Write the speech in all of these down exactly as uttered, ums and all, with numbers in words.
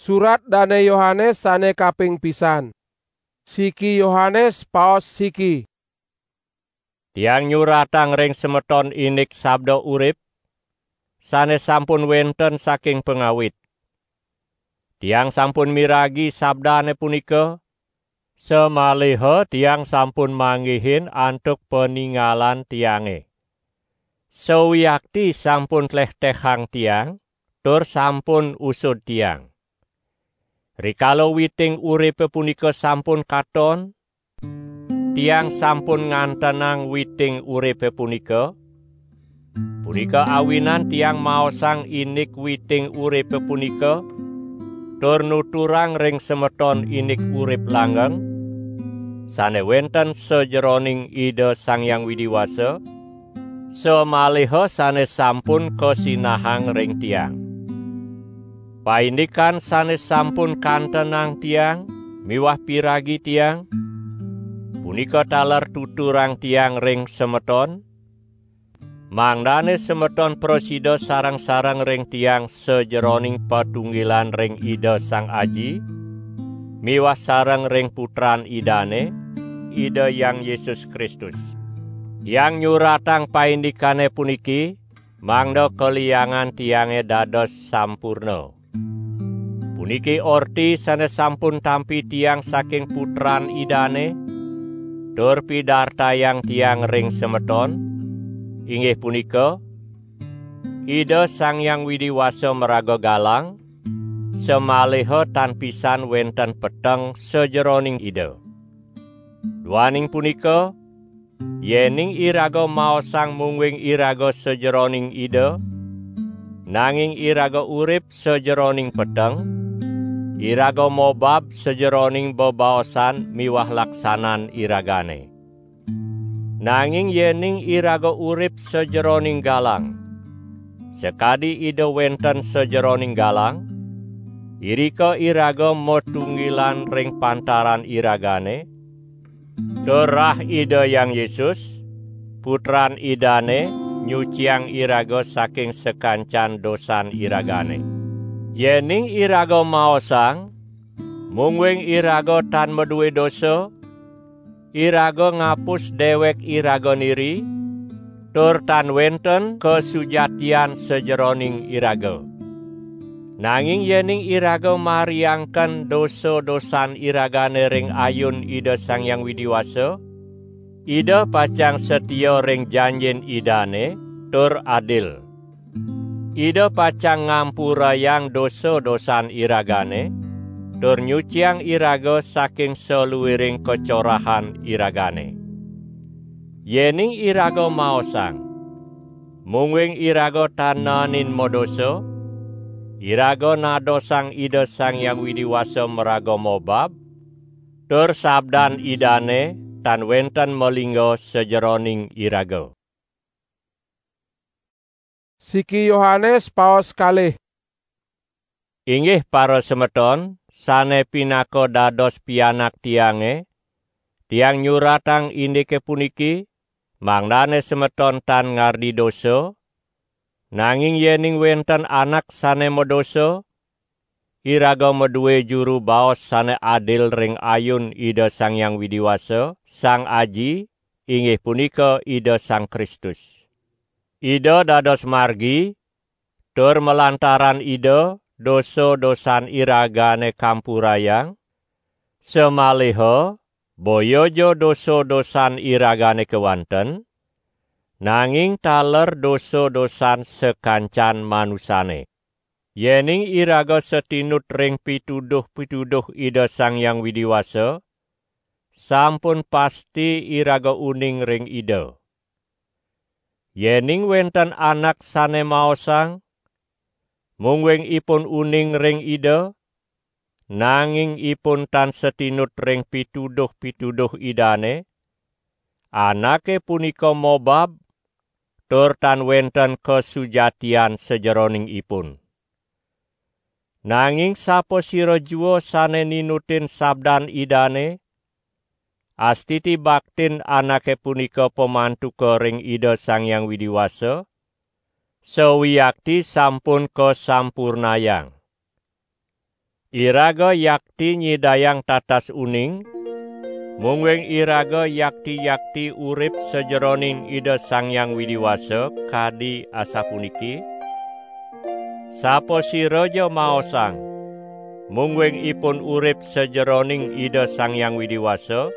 Surat Dane Yohanes sane kaping pisan. Siki Yohanes, paos siki. Tiang nyuratang ring semeton indik sabda urip, sane sampun wenten saking pangawit. Tiang sampun miragi sabdane punika, samaliha tiang sampun manggihin antuk paningalan tiange. Sawiakti sampun tlehtehang tiang, tur sampun usud tiang. Rikala witing uripe punika sampun katon, tiang sampun ngantenang witing uripe punika, punika awinan tiang maosang indik witing uripe punika, tur nuturang ring semeton indik urip langgeng, sane wenten sajeroning Ida Sang Hyang Widi Wasa, samaliha sane sampun kasinahang ring tiang. Paindikan sane sampun kantenang tiang miwah piragi tiang, punika taler tuturang tiang ring semeton, mangdane semeton prasida sareng-sareng ring tiang sajeroning patunggilan ring Ida Sang Aji, miwah sareng ring Putran Idane, Ida Hyang Yesus Kristus. Tiang nyuratang paindikane puniki, mangda kaliangan tiange dados sampurna. Puniki orti sane sampun tampi tiang saking Putran Idane, tur pidartayang tiang ring semeton, inggih punika, Ida Sang Hyang Widi Wasa maraga galang, samaliha tan pisan wenten peteng sajeroning Ida. Duaning punika, yening iraga maosang mungguing iraga sajeroning Ida, nanging iraga urip sajeroning peteng, iraga mobab sajeroning bebaosan miwah laksanan iragane. Nanging yening iraga urip sajeroning galang, sakadi Ida wenten sajeroning galang, irika iraga matunggilan ring pantaran iragane, tur rah Ida Hyang Yesus, Putran Idane, nyuciang iraga saking sakancan dosan iragane. Yening iraga maosang, mungguing iraga tan madue dosa, iraga ngapus dewek iraga niri, tur tan wenten kasujatian sajeroning iraga. Nanging yening iraga mariangken dosa-dosan iragane ring ayun Ida Sang Hyang Widi Wasa, Ida pacang satia ring janjin Idane tur adil. Ida pacang ngampurayang dosa-dosan iragane, tur nyuciang iraga saking saluiring kacorahan iragane. Yening iraga maosang, mungguing iraga tan naenin madosa, iraga nadosang Ida Sang Hyang Widi Wasa maraga mobab, tur sabdan Idane tan wenten malingga sajeroning iraga. Siki Yohanes, paos kalih. Inggih parasemeton, sane pinaka dados pianak tiange, tiang nyuratang indike puniki, mangdane semeton tan ngardi dosa, nanging yening wenten anak sane madosa, iraga madue juru baos sane adil ring ayun Ida Sang Hyang Widi Wasa, Sang Aji, inggih punika Ida Sang Kristus. Ida dados margi, tur malantaran Ida dosa-dosan iragane kampurayang, samaliha boya ja dosa-dosan iragane kewanten, nanging taler dosa-dosan sakancan manusane. Yening iraga satinut ring pituduh-pituduh Ida Sang Hyang Widi Wasa, sampun pasti iraga uning ring Ida. Yening wenten anak sane maosang, mungguing ipun uning ring Ida, nanging ipun tan satinut ring pituduh-pituduh Idane, anake punika mobab, tur tan wenten kasujatian sajeroning ipun. Nanging sapasira jua sane ninutin sabdan Idane, astiti baktin anake punika pamantuka ring Ida Sang Hyang Widi Wasa, sawiakti sampun kasampurnayang. Iraga yakti nyidayang tatas uning, mungguing iraga yakti-yakti urip sajeroning Ida Sang Hyang Widi Wasa kadi asapuniki: Sapasiraja maosang, mungguing ipun urip sajeroning Ida Sang Hyang Widi Wasa,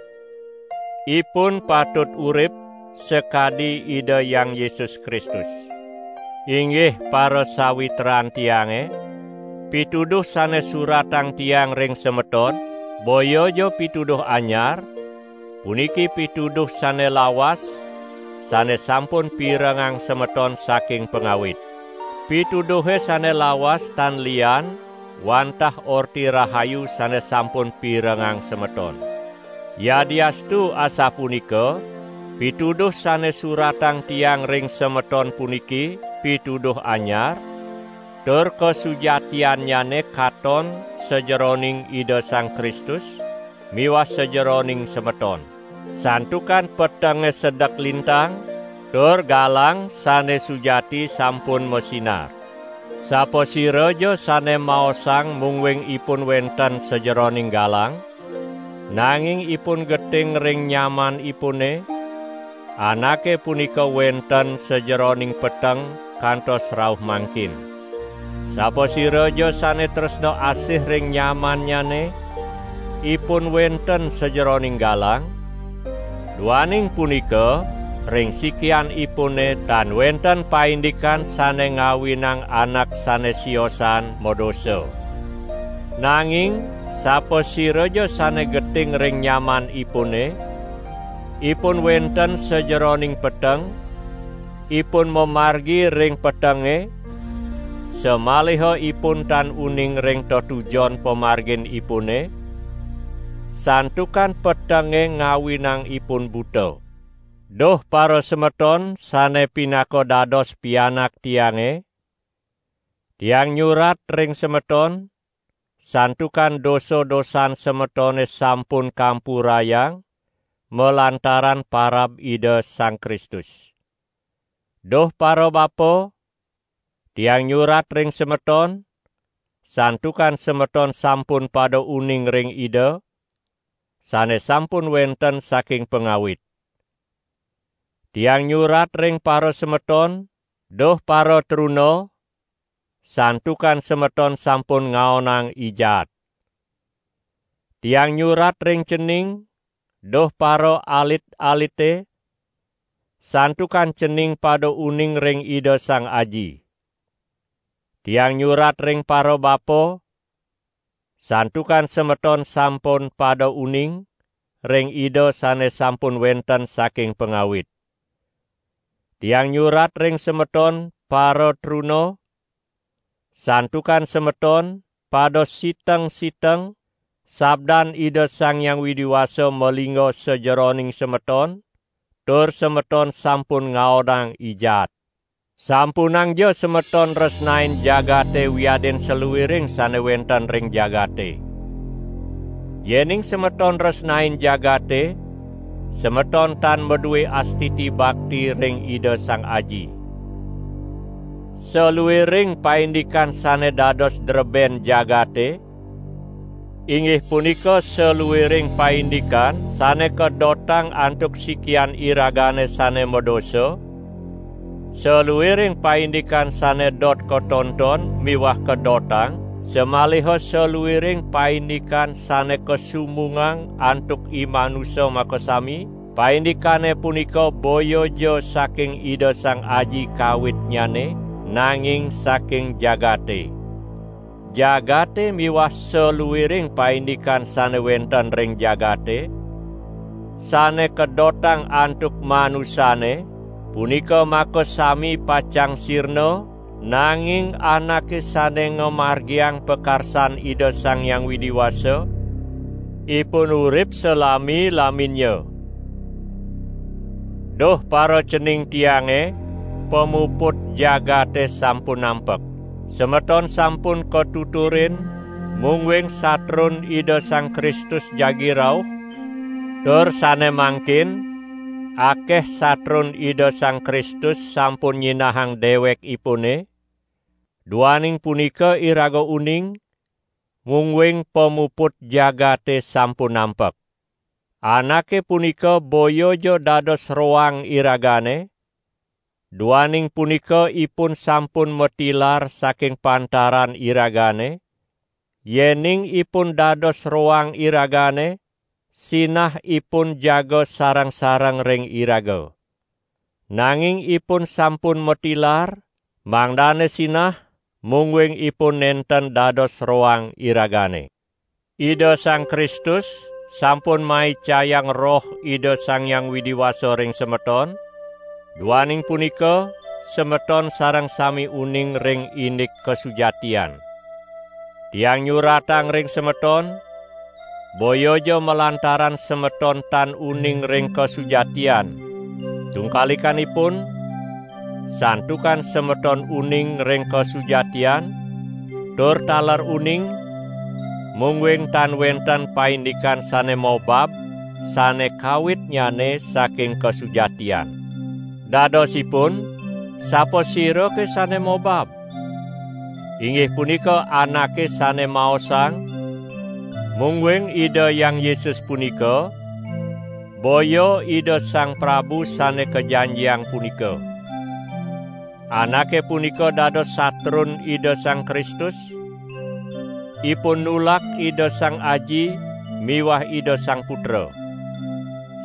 ipun patut urip sakadi Ida Hyang Yesus Kristus. Inggih parasawitran tiange, pituduh sane suratang tiang ring semeton, boya ja pituduh anyar, puniki pituduh sane lawas, sane sampun pirengang semeton saking pangawit. Pituduhe sane lawas tan lian wantah Orti Rahayu sane sampun pirengang semeton. Yadiastu asapunika, pituduh sane suratang tiang ring semeton puniki pituduh anyar, tur kasujatiannyane katon sajeroning Ida Sang Kristus miwah sajeroning semeton. Santukan petenge sedek lintang, tur galang sane sujati sampun masinar. Sapasiraja sane maosang mungguing ipun wenten sajeroning galang, nanging ipun geting ring nyamanipune, anake punika wenten sajeroning peteng kantos rauh mangkin. Sapasiraja sane tresna asih ring nyamannyane, ipun wenten sajeroning galang, duaning punika, ring sikianipune tan wenten paindikan sane ngawinang anak sane siosan madosa. Nanging sapasiraja sane geting ring nyamanipune, ipun wenten sajeroning peteng, ipun mamargi ring petenge, samaliha ipun tan uning ring tetujon pamarginipune, santukan petenge ngawinang ipun buta. Duh parasemeton sane pinaka dados pianak tiange, tiang nyurat ring semeton, santukan dosa-dosan semetone sampun kampurayang malantaran parab Ida Sang Kristus. Duh parabapa, tiang nyurat ring semeton, santukan semeton sampun pada uning ring Ida, sane sampun wenten saking pangawit. Tiang nyurat ring parasemeton, duh paratruna, santukan semeton sampun ngaonang i jaat. Tiang nyurat ring cening, duh paraalit-alite, santukan cening pada uning ring Ida Sang Aji. Tiang nyurat ring parabapa, santukan semeton sampun pada uning ring Ida sane sampun wenten saking pangawit. Tiang nyurat ring semeton paratruna, santukan semeton pada siteng-siteng sabdan Ida Sang Hyang Widi Wasa malingga sajeroning semeton, tur semeton sampun ngaonang i jaat. Sampunangja semeton resnain jagate wiadin saluiring sane wenten ring jagate. Yening semeton resnain jagate, semeton tan madue astiti bakti ring Ida Sang Aji. Saluiring paindikan sane dados dreben jagate, inggih punika saluiring paindikan sane kadotang antuk sikian iragane sane madosa, saluiring paindikan sane dot katonton miwah kadotang, samaliha saluiring paindikan sane kasumbungang antuk i manusa makasami, paindikane punika boya ja saking Ida Sang Aji kawitnyane, nanging saking jagate. Jagate miwah saluiring paindikan sane wenten ring jagate, sane kadotang antuk manusane, punika makasami pacang sirna, nanging anake sane ngamargiang pakarsan Ida Sang Hyang Widi Wasa, ipun urip salami-laminnya. Duh paracening tiange, pamuput jagate sampun nampek. Semeton sampun katuturin, mungguing satrun Ida Sang Kristus jagi rauh, tur sane mangkin, akeh satrun Ida Sang Kristus sampun nyinahang dewekipune, duaning punika iraga uning, mungguing pamuput jagate sampun nampek. Anake punika boya ja dados roang iragane, duaning punika ipun sampun matilar saking pantaran iragane, yening ipun dados roang iragane, sinah ipun jaga sareng-sareng ring iraga. Nanging ipun sampun matilar, mangdane sinah, mungguing ipun nenten dados roang iragane. Ida Sang Kristus sampun maicayang Roh Ida Sang Hyang Widi Wasa ring semeton, duaning punika semeton sareng sami uning ring indik kasujatian. Tiang nyuratang ring semeton, boya ja malantaran semeton tan uning ring kasujatian. Tungkalikanipun, santukan semeton uning ring kasujatian, tur taler uning, mungguing tan wenten paindikan sane mobab, sane kawitnyane saking kasujatian. Dadosipun, sapasirake sane mobab? Inggih punika anake sane maosang, mungguing Ida Hyang Yesus punika, boya Ida Sang Prabu sane kajanjiang punika. Anake punika dados satrun Ida Sang Kristus, ipun nulak Ida Sang Aji miwah Ida Sang Putra.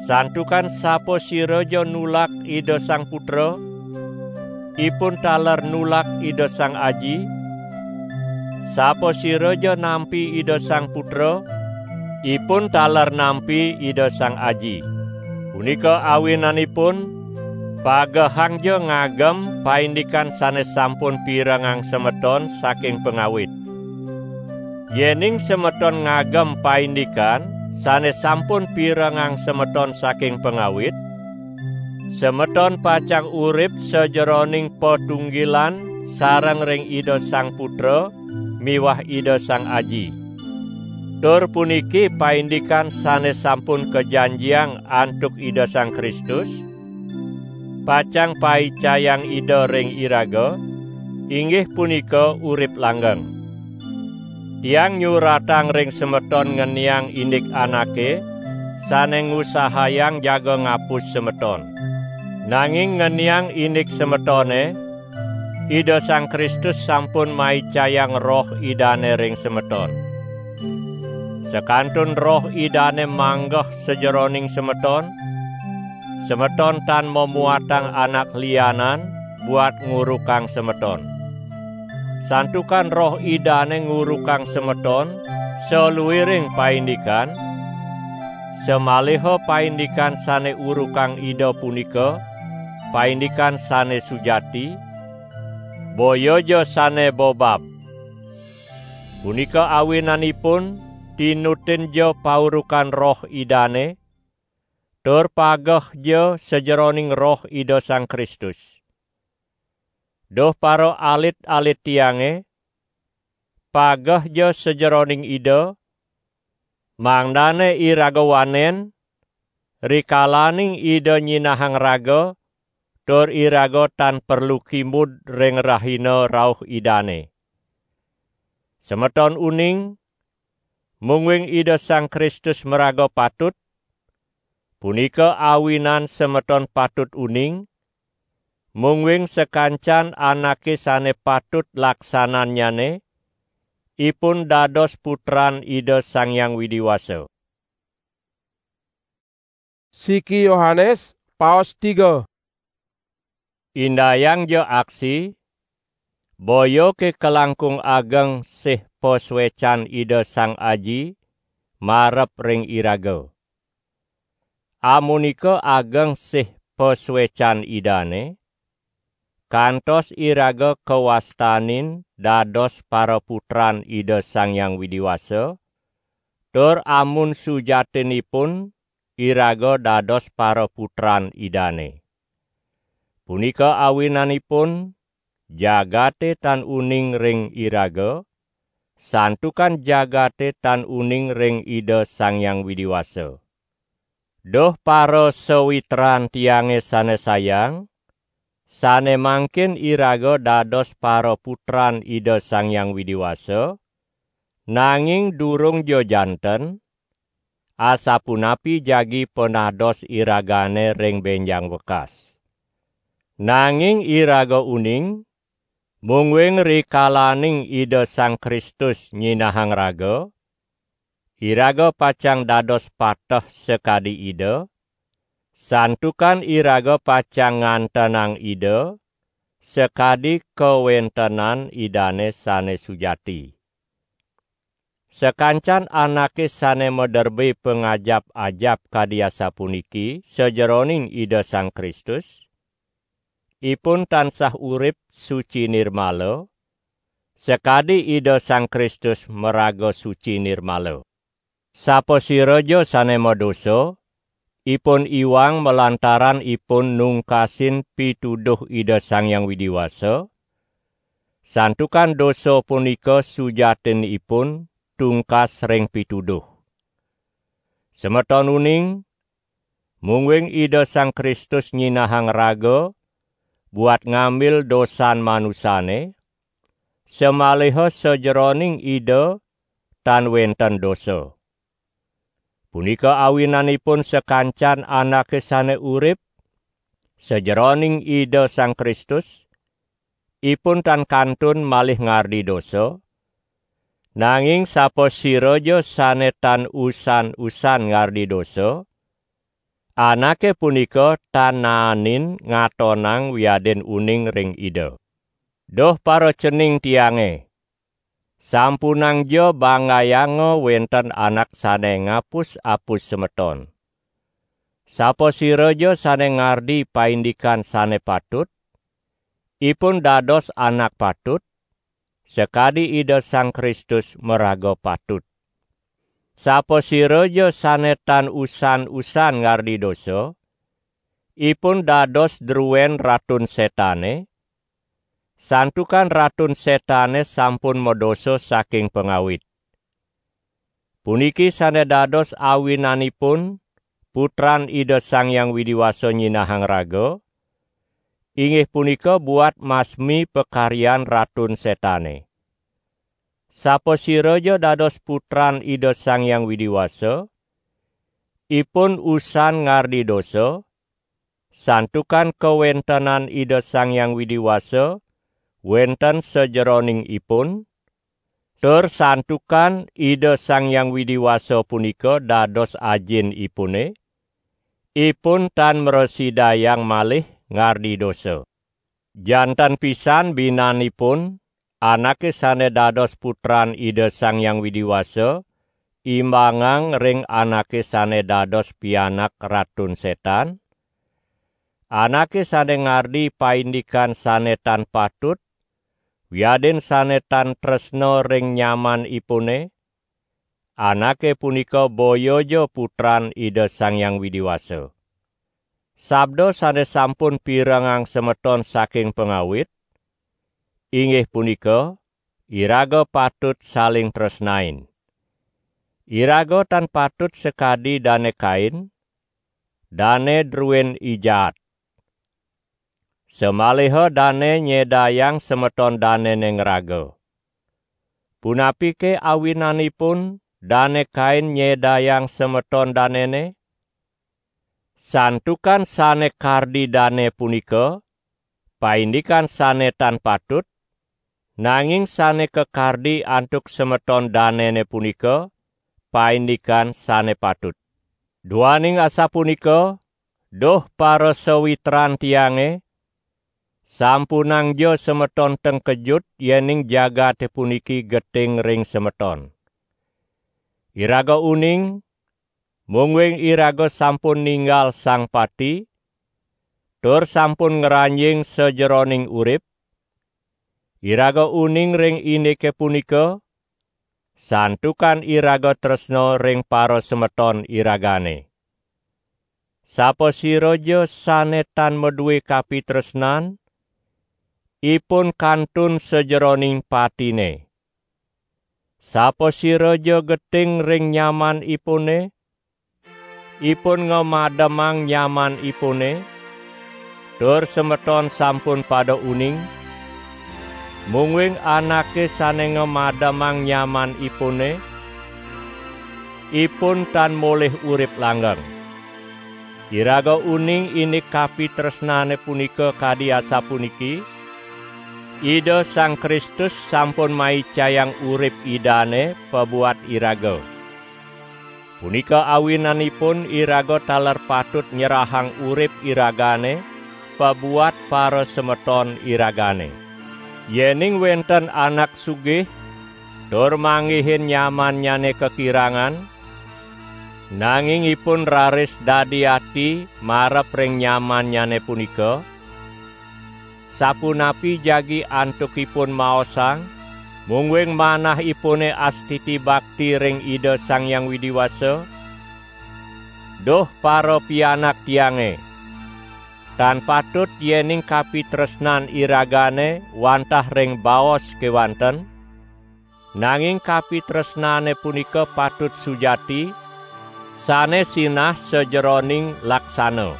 Santukan sapasira ja nulak Ida Sang Putra, ipun taler nulak Ida Sang Aji. Sapasira ja nampi Ida Sang Putra, ipun taler nampi Ida Sang Aji. Punika awinanipun, pagehang ja ngagem paindikan sane sampun pirengang semeton saking pangawit. Yening semeton ngagem paindikan sane sampun pirengang semeton saking pangawit, semeton pacang urip sajeroning patunggilan sareng ring Ida Sang Putra miwah Ida Sang Aji. Tur puniki paindikan sane sampun kajanjiang antuk Ida Sang Kristus, pacang paicayang Ida ring iraga, inggih punika urip langgeng. Tiang nyuratang ring semeton ngeniang indik anake sane ngusahayang jaga ngapus semeton. Nanging ngeniang indik semetone, Ida Sang Kristus sampun maicayang Roh Idane ring semeton. Sakantun Roh Idane manggeh sajeroning semeton, semeton tan mamuatang anak lianan buat ngurukang semeton. Santukan Roh Idane ngurukang semeton saluiring paindikan, samaliha paindikan sane urukang Ida punika paindikan sane sujati, boya ja sane bobab. Punika awinanipun, tinutin ja paurukan Roh Idane, tur pageh ja sajeroning Roh Ida Sang Kristus. Duh para alit-alit tiange, pageh ja sajeroning Ida, mangdane iraga wanen, rikalaning Ida nyinahang raga, tur iraga tan perlu kimud ring rahina rauh Idane. Semeton uning, mungguing Ida Sang Kristus maraga patut, punika awinan semeton patut uning, mungguing sakancan anake sane patut laksanannyane, ipun dados putran Ida Sang Hyang Widi Wasa. Siki Yohanes, paos tiga. Indayang ja aksi, boya ke kalangkung ageng sih pasuecan Ida Sang Aji marep ring iraga. Amunika ageng sih pasuecan Idane, kantos iraga kawastanin dados paraputran Ida Sang Hyang Widi Wasa, tur amun sujatinipun iraga dados paraputran Idane. Punika awinanipun, jagate tan uning ring iraga, santukan jagate tan uning ring Ida Sang Hyang Widi Wasa. Duh para sawitran tiange sane sayang, sane mangkin iraga dados paraputran Ida Sang Hyang Widi Wasa, Nanging durung ja janten, asapunapi jagi panados iragane ring benjang wekas. Nanging iraga uning, mungguing rikalaning Ida Sang Kristus nyinahang raga, iraga pacang dados pateh sakadi Ida, santukan iraga pacang ngantenang Ida sakadi kawentenan Idane sane sujati. Sakancan anake sane maderbe pangajap-ajap kadi asapuniki sajeroning Ida Sang Kristus, ipun tansah urip suci nirmala, sakadi Ida Sang Kristus maraga suci nirmala. Sapasiraja sane madosa, ipun iwang malantaran ipun nungkasin pituduh Ida Sang Hyang Widi Wasa, santukan dosa punika sujatinipun tungkas ring pituduh. Semeton uning, mungguing Ida Sang Kristus nyinahang raga buat ngambil dosan manusane, samaliha sajeroning Ida tan wenten dosa. Punika awinanipun sakancan anake sane urip sajeroning Ida Sang Kristus, ipun tan kantun malih ngardi dosa, nanging sapasiraja sane tan usan-usan ngardi dosa, anake punika tan naenin ngatonang wiadin uning ring Ida. Duh paracening tiange, sampunangja banggayanga wenten anak sane ngapus-apus semeton. Sapasiraja sane ngardi paindikan sane patut, ipun dados anak patut, sakadi Ida Sang Kristus maraga patut. Sapasiraja sane tan usan-usan ngardi dosa, ipun dados druen Ratun Setane, santukan Ratun Setane sampun madosa saking pangawit. Puniki sane dados awinanipun Putran Ida Sang Hyang Widi Wasa nyinahang raga, inggih punika buat masmi pakaryan Ratun Setane. Sapasiraja dados putran Ida Sang Hyang Widi Wasa, ipun usan ngardi dosa, santukan kawentenan Ida Sang Hyang Widi Wasa wenten sajeroning ipun, tur santukan Ida Sang Hyang Widi Wasa punika dados Ajin ipune, ipun tan mrasidayang malih ngardi dosa. Janten pisan binanipun anake sane dados putran Ida Sang Hyang Widi Wasa, imbangang ring anake sane dados pianak Ratun Setan, anake sane ngardi paindikan sane tan patut, wiadin sane tan tresna ring nyamanipune, anake punika boyaja putran Ida Sang Hyang Widi Wasa. Sabda sane sampun pirengang semeton saking pangawit, inggih punika, iraga patut saling tresnain. Iraga tan patut sakadi Dane Kain, dane druen i jaat. Samaliha dane nyedayang semeton danene ngraga. Punapike awinanipun Dane Kain nyedayang semeton danene? Santukan sane kardi dane punika, paindikan sane tan patut, nanging sane kakardi antuk semeton danene punika, paindikan sane patut. Duaning asapunika, duh parasawitran tiange, sampunangja semeton tengkejut yening jagate puniki geting ring semeton. Iraga uning, mungguing iraga sampun ninggal Sang Pati, tur sampun ngranjing sajeroning urip, iraga uning ring indike punika, santukan iraga tresna ring parasemeton iragane. Sapasiraja sane tan madue kapitresnan, ipun kantun sajeroning patine. Sapasiraja geting ring nyamanipune, ipun ngamademang nyamanipune, tur semeton sampun pada uning, Mungguing anake sane ngamademang nyamanipune, ipun tan molih urip langgeng. Iraga uning indik kapitresnane punika kadi asapuniki: Ida Sang Kristus sampun maicayang urip Idane pabuat iraga. Punika awinanipun iraga taler patut nyerahang urip iragane pabuat parasemeton iragane. Yening wenten anak sugih tur manggihin nyamannyane kakirangan, nanging ipun raris dadi ati marep ring nyamannyane punika, sapunapi jagi antukipun maosang, mungguing manahipune astiti bakti ring Ida Sang Hyang Widi Wasa? Duh parapianak tiange, tan patut yening kapitresnan iragane wantah ring baos kewanten, nanging kapitresnane punika patut sujati, sane sinah sajeroning laksana.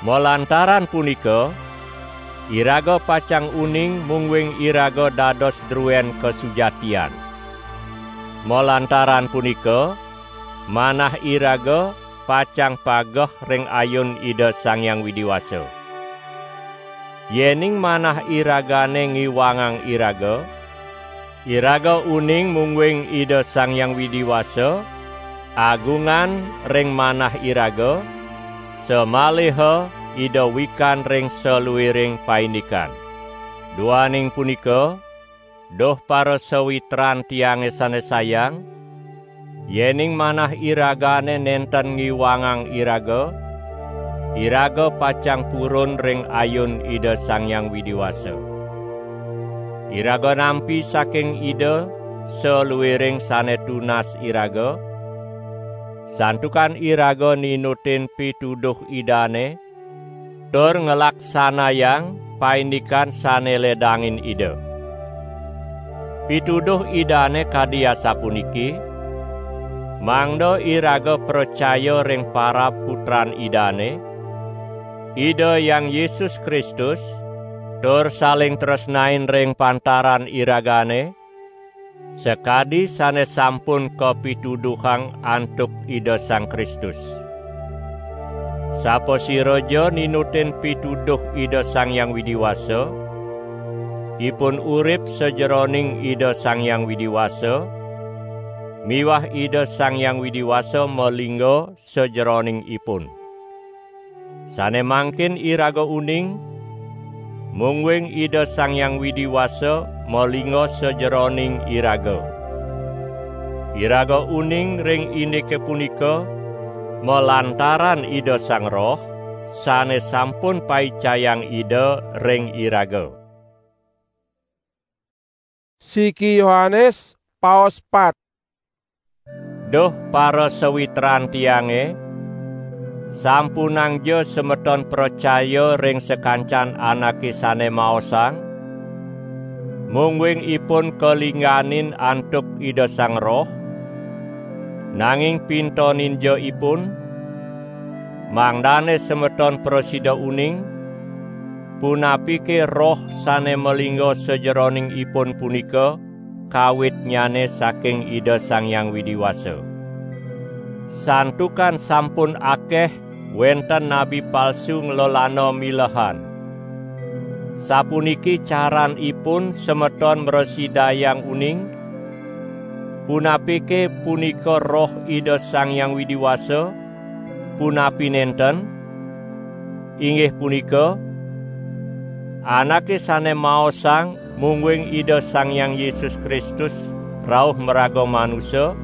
Malantaran punika, iraga pacang uning mungguing iraga dados druen kasujatian. Malantaran punika, manah iraga pacang pageh ring ayun Ida Sang Hyang Widi Wasa. Yening manah iragane ngiwangang iraga, iraga uning mungguing Ida Sang Hyang Widi Wasa agungan ring manah iraga, samaliha Ida wikan ring saluiring paindikan. Duaning punika, duh parasawitran tiange sane sayang, yening manah iragane nenten ngiwangang iraga, iraga pacang purun ring ayun Ida Sang Hyang Widi Wasa. Iraga nampi saking Ida saluiring sane tunas iraga, santukan iraga ninutin pituduh Idane, tur nglaksanayang paindikan sane ledangin Ida. Pituduh Idane kadi asapuniki, mangda iraga pracaya ring parab Putran Idane, Ida Hyang Yesus Kristus, tur saling tresnain ring pantaran iragane, sakadi sane sampun kapituduhang antuk Ida Sang Kristus. Sapasiraja ninutin pituduh Ida Sang Hyang Widi Wasa, ipun urip sajeroning Ida Sang Hyang Widi Wasa, miwah Ida Sang Hyang Widi Wasa malingga sajeroning ipun. Sane mangkin iraga uning, mungguing Ida Sang Hyang Widi Wasa malingga sajeroning iraga. Iraga uning ring indike punika malantaran Ida Sang Roh, sane sampun paicayang Ida ring iraga. Siki Yohanes, paos pat. Duh parasawitran tiange, sampunangja semeton pracaya ring sakancan anake sane maosang, mungguing ipun kalingganin antuk Ida Sang Roh, nanging pintoninja ipun, mangdane semeton prasida uning, punapike Roh sane malingga sajeroning ipun punika kawitnyane saking Ida Sang Hyang Widi Wasa. Santukan sampun akeh wenten nabi palsu nglelana milehan. Sapuniki caranipun semeton mrasidayang uning, punapike punika Roh Ida Sang Hyang Widi Wasa, punapi nenten, inggih punika, anake sane maosang mungguing Ida Sang Hyang Yesus Kristus rauh maraga manusa,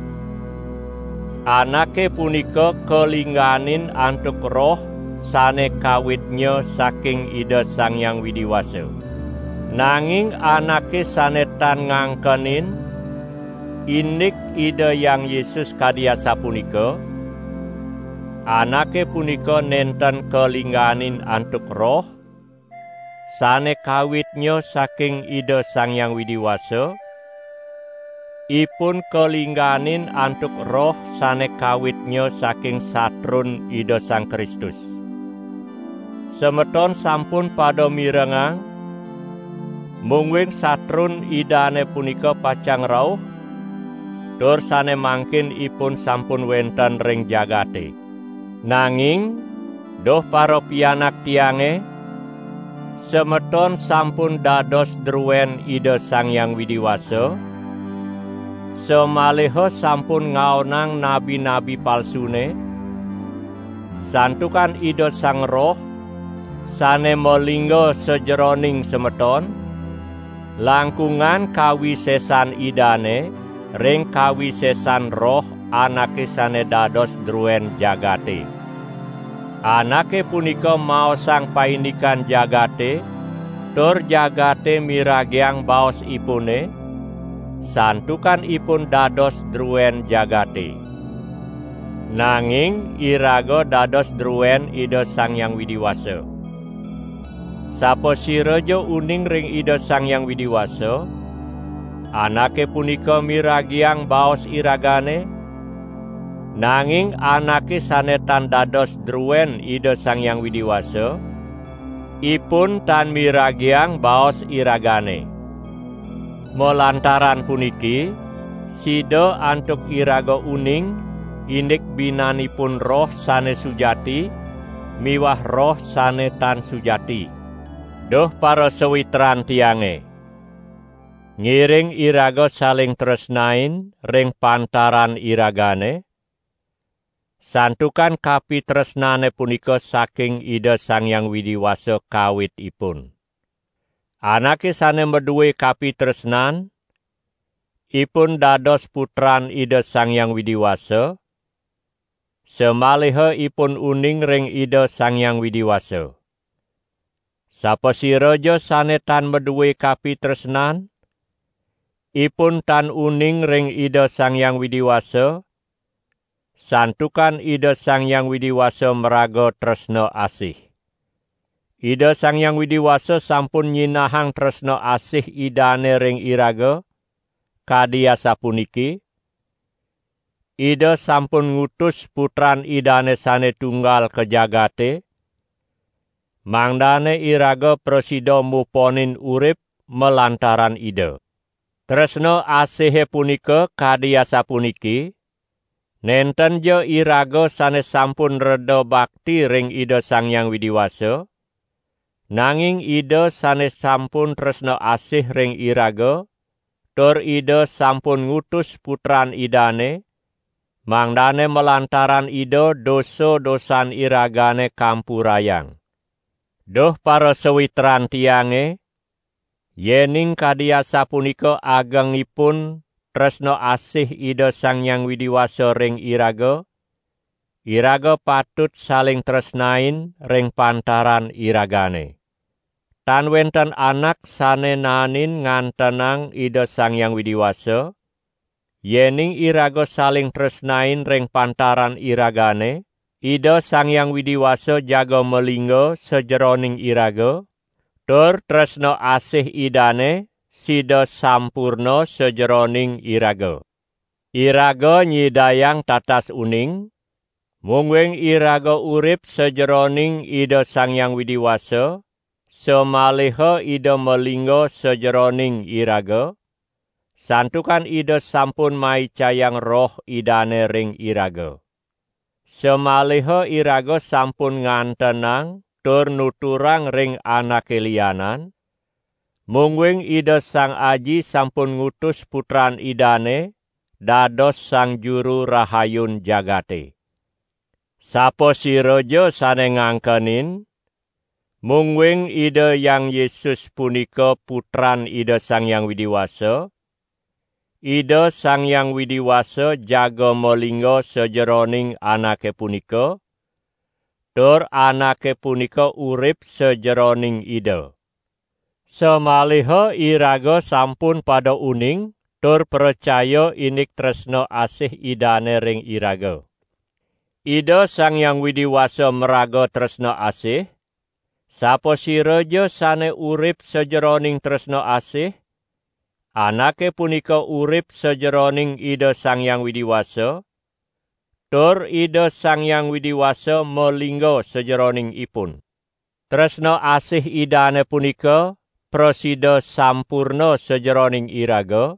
anake punika kalingganin antuk Roh sane kawitnya saking Ida Sang Hyang Widi Wasa. Nanging anake sane tan ngangkenin indik Ida Hyang Yesus kadi asapunika, anake punika nenten kalingganin antuk Roh sane kawitnya saking Ida Sang Hyang Widi Wasa, ipun kalingganin antuk Roh sane kawitnya saking satrun Ida Sang Kristus. Semeton sampun pada mirengang, Mungguing satrun Idane punika pacang rauh, tur sane mangkin ipun sampun wenten ring jagate. Nanging, duh parapianak tiange, semeton sampun dados druen Ida Sang Hyang Widi Wasa, samaliha sampun ngaonang nabi-nabi palsune, santukan Ida Sang Roh sane malingga sajeroning semeton, langkungan kawisesan Idane ring kawisesan roh anake sane dados druen jagate. Anake punika maosang paindikan jagate, tur jagate miragiang baosipune, santukan ipun dados druen jagate. Nanging iraga dados druen Ida Sang Hyang Widi Wasa. Sapasiraja uning ring Ida Sang Hyang Widi Wasa, anake punika miragiang baos iragane, nanging anake sane tan dados druen Ida Sang Hyang Widi Wasa, ipun tan miragiang baos iragane. Malantaran puniki, sida antuk iraga uning, indik binanipun Roh sane sujati miwah roh sane tan sujati. Duh parasawitran tiange, ngiring iraga saling tresnain ring pantaran iragane, santukan kapitresnane punika saking Ida Sang Hyang Widi Wasa kawitipun. Anake sane madue kapitresnan, ipun dados putran Ida Sang Hyang Widi Wasa, samaliha ipun uning ring Ida Sang Hyang Widi Wasa. Sapasiraja sane tan madue kapitresnan, ipun tan uning ring Ida Sang Hyang Widi Wasa, santukan Ida Sang Hyang Widi Wasa maraga tresna asih. Ida Sang Hyang Widi Wasa sampun nyinahang tresna asih Idane ring iraga, kadi asapuniki: Ida sampun ngutus Putran Idane sane tunggal ka jagate, mangdane iraga prasida muponin urip malantaran Ida. Tresna asihe punika kadi asapuniki: Nentenja iraga sane sampun reda bakti ring Ida Sang Hyang Widi Wasa, nanging Ida sane sampun tresna asih ring iraga, tur Ida sampun ngutus Putran Idane, mangdane malantaran Ida dosa-dosan iragane kampurayang. Duh parasawitran tiange, yening kadi asapunika agengipun tresna asih Ida Sang Hyang Widi Wasa ring iraga, iraga patut saling tresnain ring pantaran iragane. Tan wenten anak sane naenin ngantenang Ida Sang Hyang Widi Wasa, yening iraga saling tresnain ring pantaran iragane, Ida Sang Hyang Widi Wasa jaga malingga sajeroning iraga, tur tresna asih Idane sida sampurna sajeroning iraga. Iraga nyidayang tatas uning, mungguing iraga urip sajeroning Ida Sang Hyang Widi Wasa, samaliha Ida malingga sajeroning iraga, santukan Ida sampun maicayang Roh Idane ring iraga. Samaliha iraga sampun ngantenang tur nuturang ring anake lianan, mungguing Ida Sang Aji sampun ngutus Putran Idane dados Sang Juru Rahayun jagate. Sapasiraja sane ngangkenin, mungguing Ida Hyang Yesus punika Putran Ida Sang Hyang Widi Wasa, Ida Sang Hyang Widi Wasa jaga malingga sajeroning anake punika, tur anake punika urip sajeroning Ida. Samaliha iraga sampun pada uning tur pracaya indik tresna asih Idane ring iraga. Ida Sang Hyang Widi Wasa maraga tresna asih, sapasiraja sane urip sajeroning tresna asih, anake punika urip sajeroning Ida Sang Hyang Widi Wasa, tur Ida Sang Hyang Widi Wasa malingga sajeroning ipun. Tresna asih Idane punika prasida sampurna sajeroning iraga,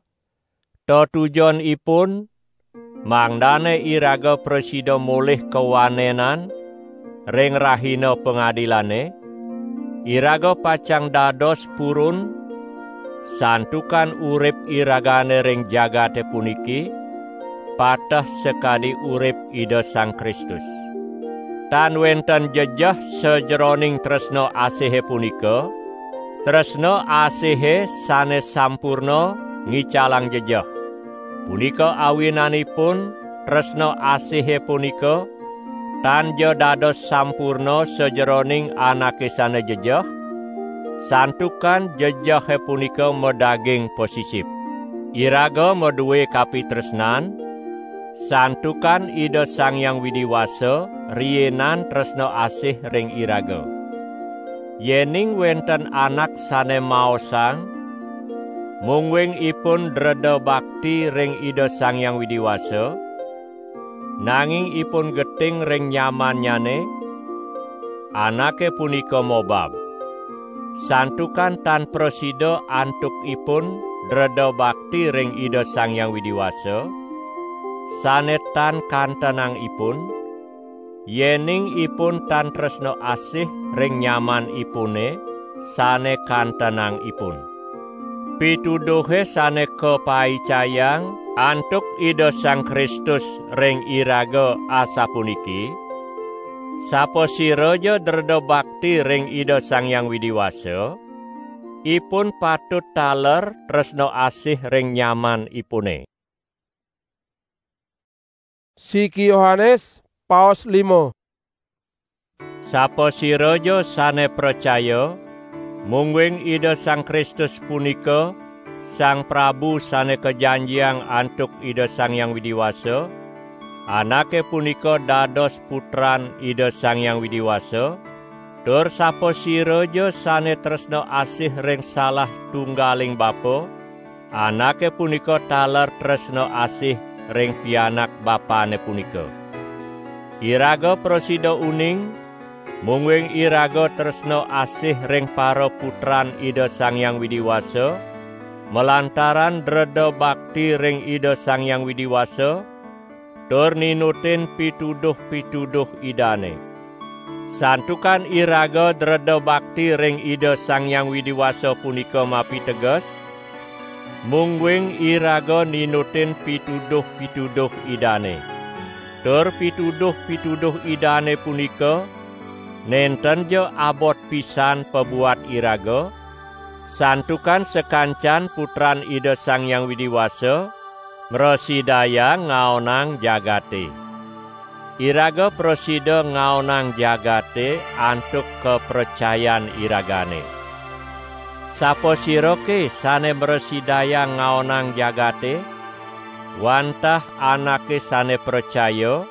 tetujonipun mangdane iraga prasida molih kawanenan ring rahina pangadilane, iraga pacang dados purun, santukan urip iragane ring jagate puniki pateh sakadi urip Ida Sang Kristus. Tan wenten jejeh sajeroning tresna asihe punika, tresna asihe sane sampurna ngicalang jejeh. Punika awinanipun tresna asihe punika tan ja dados sampurna sajeroning anake sane jejeh, santukan jejehe punika madaging pasisip. Iraga madue kapitresnan, santukan Ida Sang Hyang Widi Wasa riinan tresna asih ring iraga. Yening wenten anak sane maosang, mungguing ipun dreda bakti ring Ida Sang Hyang Widi Wasa, nanging ipun geting ring nyamannyane, anake punika mobab. Santukan tan prasida antuk ipun dreda bakti ring Ida Sang Hyang Widi Wasa, sane tan kantenang ipun, yening ipun tan tresna asih ring nyaman ipune sane kantenang ipun. Pituduhe sane kapaicayang antuk Ida Sang Kristus ring iraga asapuniki: Sapasiraja dreda bakti ring Ida Sang Hyang Widi Wasa, ipun patut taler tresna asih ring nyaman ipune. Siki Yohanes, paos lima. Sapasiraja sane pracaya, mungguing Ida Sang Kristus punika Sang Prabu sane kajanjiang antuk Ida Sang Hyang Widi Wasa, anake punika dados putran Ida Sang Hyang Widi Wasa, tur sapasiraja sane tresna asih ring salah tunggaling bapa, anake punika taler tresna asih ring pianak bapane punika. Iraga prasida uning, mungguing iraga tresna asih ring paraputran Ida Sang Hyang Widi Wasa, malantaran dreda bakti ring Ida Sang Hyang Widi Wasa, tur ninutin pituduh-pituduh Idane. Santukan iraga dreda bakti ring Ida Sang Hyang Widi Wasa punika mapiteges, mungguing iraga ninutin pituduh-pituduh Idane. Tur pituduh-pituduh Idane punika nenten ja abot pisan pabuat iraga, santukan sakancan putran Ida Sang Hyang Widi Wasa mrasidayang ngaonang jagate. Iraga prasida ngaonang jagate antuk kapracayan iragane. Sapasirake sane mrasidayang ngaonang jagate? Wantah anake sane pracaya,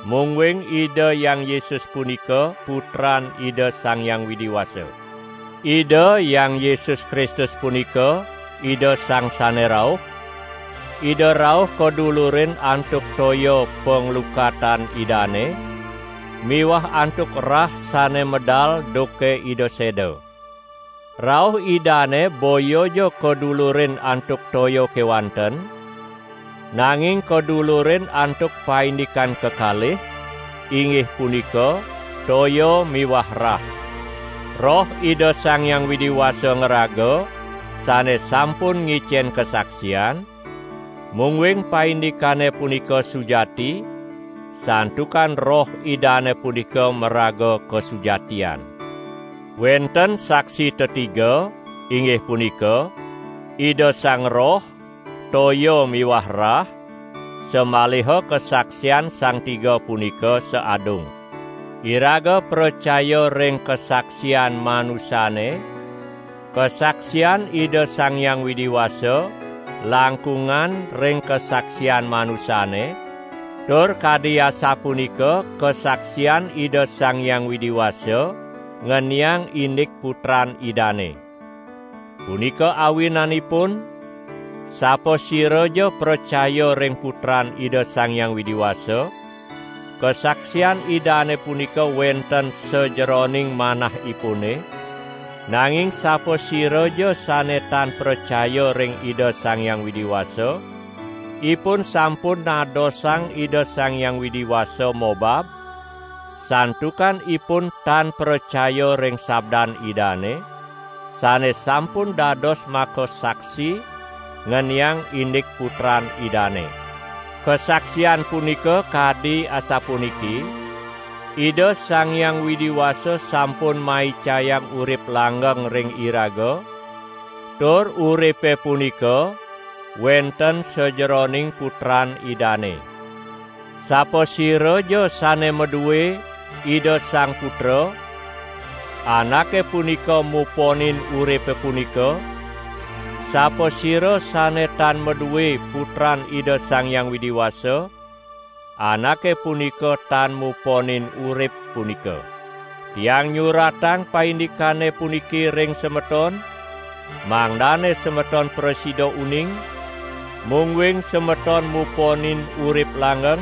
mungguing Ida Hyang Yesus punika Putran Ida Sang Hyang Widi Wasa. Ida Hyang Yesus Kristus punika Ida Sang Sane Rauh. Ida rauh kadulurin antuk toya panglukatan Idane, miwah antuk rah sane medal duke Ida seda. Rauh Idane boya ja kadulurin antuk toya kewanten, nanging kadulurin antuk paindikan kekalih, inggih punika toya miwah rah. Roh Ida Sang Hyang Widi Wasa ngraga, sane sampun ngicen kasaksian, mungguing paindikane punika sujati, santukan Roh Idane punika maraga kasujatian. Wenten saksi tetiga, inggih punika Ida Sang Roh, toya miwah rah, samaliha kasaksian sang tiga punika saadung. Iraga pracaya ring kasaksian manusane, kasaksian Ida Sang Hyang Widi Wasa langkungan ring kasaksian manusane, tur kadi asapunika kasaksian Ida Sang Hyang Widi Wasa ngeniang indik Putran Idane. Punika awinanipun, sapasiraja pracaya ring Putran Ida Sang Hyang Widi Wasa, kasaksian Idane punika wenten sajeroning manahipune, Nanging sapasiraja sane tan pracaya ring Ida Sang Hyang Widi Wasa, ipun sampun nadosang Ida Sang Hyang Widi Wasa mobab, santukan ipun tan pracaya ring sabdan Idane, sane sampun dados makasaksi ngeniang indik Putran Idane. Kasaksian punika kadi asapuniki: Ida Sang Hyang Widi Wasa sampun maicayang urip langgeng ring iraga, tur uripe punika wenten sajeroning Putran Idane. Sapasiraja sane madue Ida Sang Putra, anake punika muponin uripe punika. Sapasira sane tan madue Putran Ida Sang Hyang Widi Wasa, anake punika tan muponin urip punika. Tiang nyuratang paindikane puniki ring semeton, mangdane semeton prasida uning, mungguing semeton muponin urip langgeng,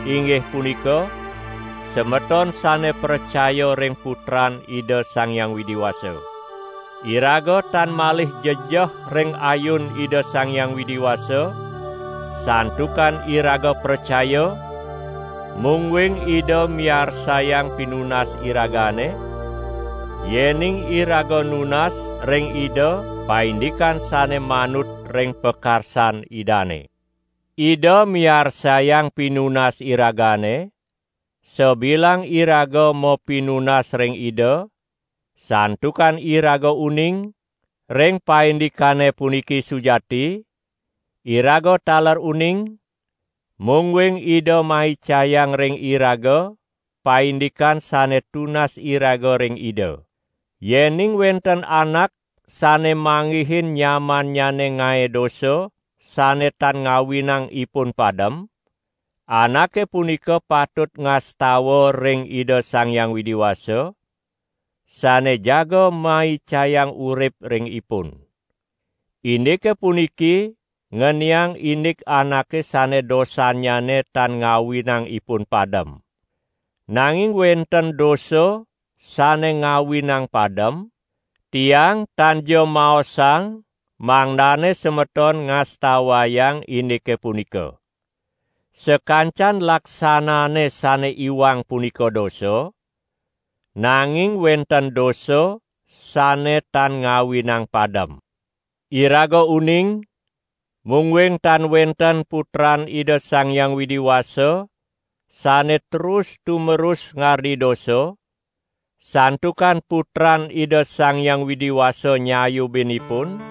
inggih punika, semeton sane pracaya ring Putran Ida Sang Hyang Widi Wasa. Iraga tan malih jejeh ring ayun Ida Sang Hyang Widi Wasa, santukan iraga pracaya, mungguing Ida miarsayang pinunas iragane, yening iraga nunas ring Ida paindikan sane manut ring pakarsan Idane. Ida miarsayang pinunas iragane, sabilang iraga mapinunas ring Ida, santukan iraga uning ring paindikane puniki sujati, iraga taler uning, mungguing Ida maicayang ring iraga paindikan sane tunas iraga ring Ida. Yening wenten anak sane manggihin nyamannyane ngae dosa sane tan ngawinang ipun padem, anake punika patut ngastawa ring Ida Sang Hyang Widi Wasa, sane jaga maicayang urip ring ipun. Indike puniki ngeniang indik anake sane dosannyane tan ngawinang ipun padem. Nanging wenten dosa sane ngawinang padem, tiang tan ja maosang mangdane semeton ngastawayang indike punika. Sakancan laksanane sane iwang punika dosa, nanging wenten dosa sane tan ngawinang padem. Iraga uning, mungguing tan wenten Putran Ida Sang Hyang Widi Wasa sane terus tumerus ngardi dosa, santukan Putran Ida Sang Hyang Widi Wasa nyayubin ipun,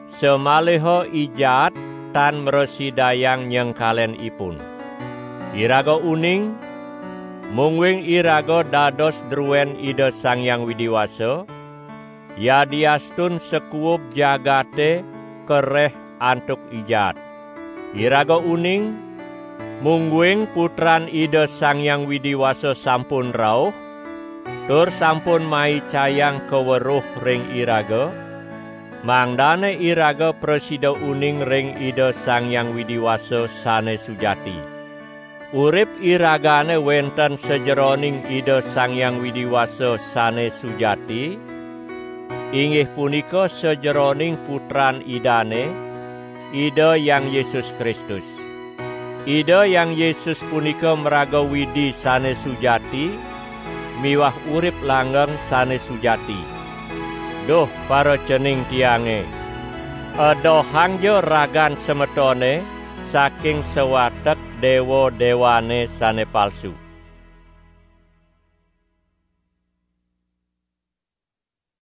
samaliha i jaat tan mrasidayang nyengkalen ipun. Iraga uning, mungguing iraga dados druen Ida Sang Hyang Widi Wasa, yadiastun sakuub jagate kareh antuk i jaat. Iraga uning, mungguing Putran Ida Sang Hyang Widi Wasa sampun rauh, tur sampun maicayang kaweruh ring iraga, mangdane iraga prasida uning ring Ida Sang Hyang Widi Wasa sane sujati. Urip iragane wenten sajeroning Ida Sang Hyang Widi Wasa sane sujati, inggih punika sajeroning Putran Idane, Ida Hyang Yesus Kristus. Ida Hyang Yesus punika maraga Widi sane sujati miwah urip langgeng sane sujati. Duh, paracening tiange, edohangja ragan semetone saking sawatek dewa-dewane sane palsu.